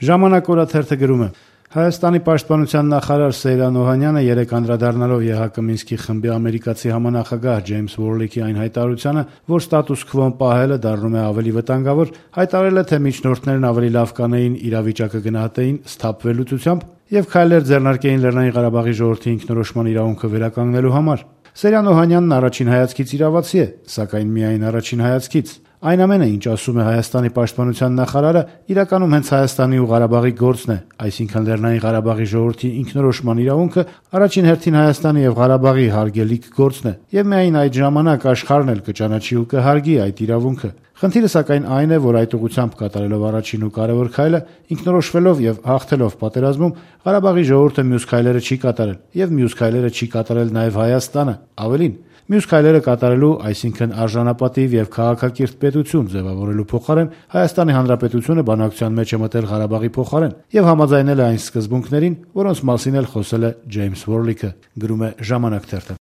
Ժամանակ օրաթերթը գրում է. Հայաստանի պաշտպանության նախարար Սեյրան Օհանյանը երեկ անդրադառնալով ԵՀԿ Մինսկի խմբի ամերիկացի համանախագահ Ջեյմս Ուորլիքի այն հայտարարությանը, որ ստատուս քվոն պահելը դառնում է ավելի վտանգավոր, հայտարարել է, թե միջնորդներն ավելի լավ կանեին իրավիճակը գնահատեին սթափվելուծությամբ եւ քայլեր ձեռնարկեին Լեռնային Ղարաբաղի ժողովրդի ինքնորոշման իրավունքը վերականգնելու համար։ Սեյրան Օհանյանն առաջին հայացքից իրավացի է, սակայն միայն առաջին հայացքից։ Այն ամենը, ինչ ասում է Հայաստանի պաշտպանության նախարարը, իրականում հենց Հայաստանի ու Ղարաբաղի գործն է, այսինքն Լեռնային Ղարաբաղի ժողովրդի ինքնորոշման իրավունքը առաջին հերթին Հայաստանի եւ Ղարաբաղի հարգելիք գործն է, եւ միայն այդ ժամանակ աշխարհն էլ կճանաչի ու կհարգի այդ իրավունքը։ Խնդիրը սակայն այն է, որ այդ ուղղությամբ կատարելով առաջին ու կարևոր քայլը, ինքնորոշվելով եւ հաղթելով պատերազմում, Ղարաբաղի ժողովուրդը մյուս քայլերը չի կատարել, եւ մյուս քայլերը չի կատարել նաեւ Հայաստանը, ավելին, մյուս քայլերը կատարելու, այսինքն արժանապատիվ եւ քաղաքակիրթ պետություն ձևավորելու փոխարեն Հայաստանի Հանրապետությունը բանակցության մեջ է մտել Ղարաբաղի փոխարեն եւ համաձայնել է այն սկզբունքներին, որոնց մասին էլ խոսել է Ջեյմս Ուորլիքը, գրում է Ժամանակ թերթը։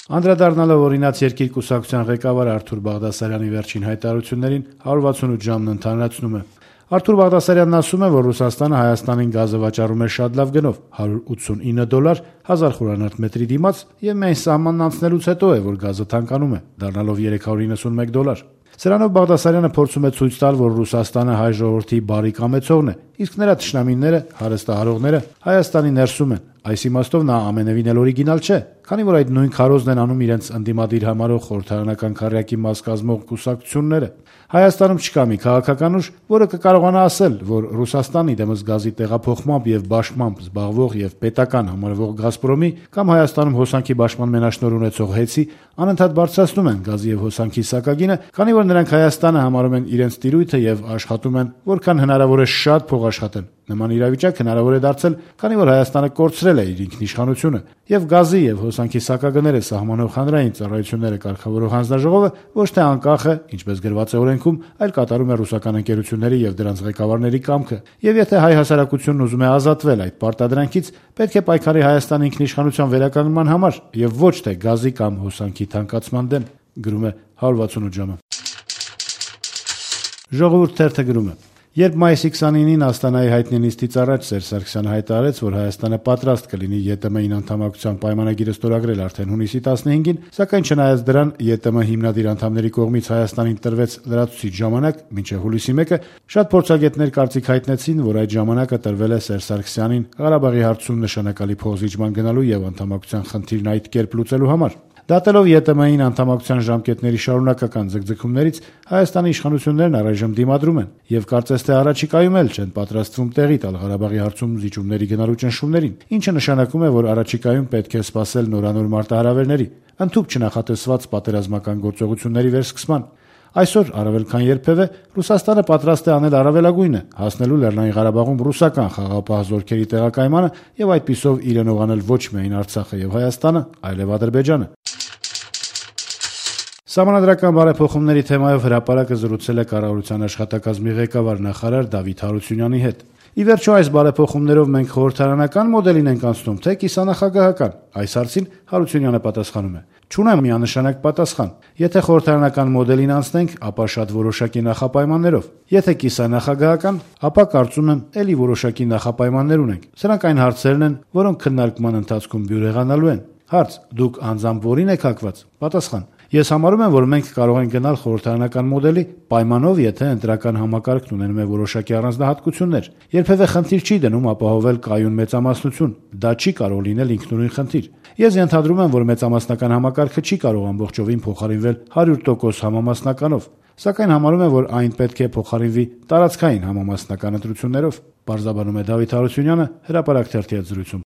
Անդրադառնալով օրինաց երկիր կուսակցության ղեկավար Արթուր Բաղդասարյանի վերջին հայտարարություններին 168 ժամն ընդհանրացնում է։ Արթուր Բաղդասարյանն ասում է, որ Ռուսաստանը Հայաստանին գազը վաճառում է շատ լավ գնով՝ $189 1000 խորանարդ մետրի դիմաց, եւ միայն սահմանն անցնելուց հետո է, որ գազը թանկանում է, դառնալով $391։ Սրանով Բաղդասարյանը փորձում է ցույց տալ, որ Ռուսաստանը հայ ժողովրդի բարի կամեցողն է, իսկ նրա թշնամիները, հարստահարողները Հայաստանի ներսում են։ Այս իմաստով նա ամենևին էլ օրիգինալ չէ, քանի որ այդ նույն քարոզն են անում իրենց ընդդիմադիր համարող խորհրդարանական քառյակի մաս կազմող կուսակցությունները։ Հայաստանում չկա մի քաղաքական ուժ, որը կկարողանա ասել, որ Ռուսաստանի դեմս գազի տեղափոխմամբ եւ բաշխմամբ զբաղվող եւ պետական համարվող Գազպրոմի կամ Հայաստանում հոսանքի բաշխման մենաշնորհ ունեցող ՀԵՑ-ի անընդհատ բարձրացնում են գազի եւ հոսանքի սակագինը, քանի որ նրանք Հայաստանը համարում են իրենց տիրույթը եւ աշխատում են, որքան հնարավոր է շատ փող աշխատեն։ Նման իրավիճակ հնարավոր է դարձել, քանի որ Հայաստանը կորցրել է իր ինքնիշխանությունը, եւ գազի եւ հոսանքի սակագները սահմանող հանրային ծառայությունները կարգավորող հանձնաժողովը ոչ թե անկախ է, ինչպես գրված է օրենքում, այլ կատարում է ռուսական ընկերությունների եւ դրանց ղեկավարների կամքը։ Եվ եթե հայ հասարակությունն ուզում է ազատվել այդ պարտադրանքից, պետք է պայքարի Հայաստանի ինքնիշխանության վերականգնման համար եւ ոչ թե գազի կամ հոսանքի թանկացման դեմ, գրում է 168 ժամը։ Ժողովուրդ թերթը գրում է. Երբ մայիսի 29-ին Աստանայի հայտնի նիստից առաջ Սերժ Սարգսյանը հայտարարեց, որ Հայաստանը պատրաստ կլինի ԵՏՄ-ին անդամակցության պայմանագիրը ստորագրել արդեն հունիսի 15-ին, սակայն չնայած դրան ԵՏՄ հիմնադիր անդամների կողմից Հայաստանին տրվեց լրացուցիչ ժամանակ մինչև հուլիսի 1-ը, շատ փորձագետներ կարծիք հայտնեցին, որ այդ ժամանակը տրվել է Սերժ Սարգսյանին Ղարաբաղի հարցում նշանակալի փոխզիջման գնալու եւ անդամակցության խնդիրն այդ կերպ լուծելու համար։ Դատելով ԵՏՄ-ին անդամակցության ժամկետների շարունակական ձգձգումներից Հայաստանի իշխանություններն առայժմ դիմադրում են եւ կարծես թե առաջիկայում էլ չեն պատրաստվում տեղի տալ Ղարաբաղի հարցում զիջումների գնալու ճնշումներին, ինչը նշանակում է, որ առաջիկայում պետք է սպասել նորանոր մարտահրավերների, ընդհուպ չնախատեսված պատերազմական գործողությունների վերսկսման։ Այսօր առավել քան երբևէ Ռուսաստանը պատրաստ է անել առավելագույնը, հասնելու Լեռնային Ղարաբաղում ռուսական խաղաղապահ զորքերի տեղակայմանը եւ այդպիսով իրենով անել ոչ միայն Արցախը եւ Հայաստանը, այլև Ադրբեջանը։ Սահմանադրական բարեփոխումների թեմայով հրապարակը զրուցել է կառավարության աշխատակազմի ղեկավար նախարար Դավիթ Հարությունյանի հետ։ Ի վերջո այս բարեփոխումներով մենք խորհրդարանական մոդելին ենք անցնում, թե կիսանախագահական։ Այս հարցին Հարությունյանը պատասխանում է. Չունեմ միանշանակ պատասխան։ Եթե խորհրդարանական մոդելին անցնենք, ապա շատ որոշակի նախապայմաններով։ Եթե կիսանախագահական, ապա կարծում եմ, ելի որոշակի նախապայմաններ ունենք։ Սրանք այն հարցերն են, որոնք քննարկման ընթացքում բյուրեղանալու են։ Հարց. դուք անձամբ որին եք հակված։ Պատասխան. Ես համարում եմ, որ մենք կարող ենք գնալ խորհրդարանական մոդելի պայմանով, եթե ընտրական համակարգն ունենում է որոշակի առանձնահատկություններ։ Երբևէ խնդիր չի դնում ապահովել կայուն մեծամասնություն։ Դա չի կարող լինել ինքնուրույն խնդիր։ Ես ենթադրում եմ, որ մեծամասնական համակարգը չի կարող ամբողջովին փոխարինվել 100% համամասնականով, սակայն համարում եմ, որ այն պետք է փոխարինվի տարածքային համամասնական ընտրություններով, պարզաբանում է Դավիթ Հարությունյանը հրապարակ թերթի հետ զրույցում։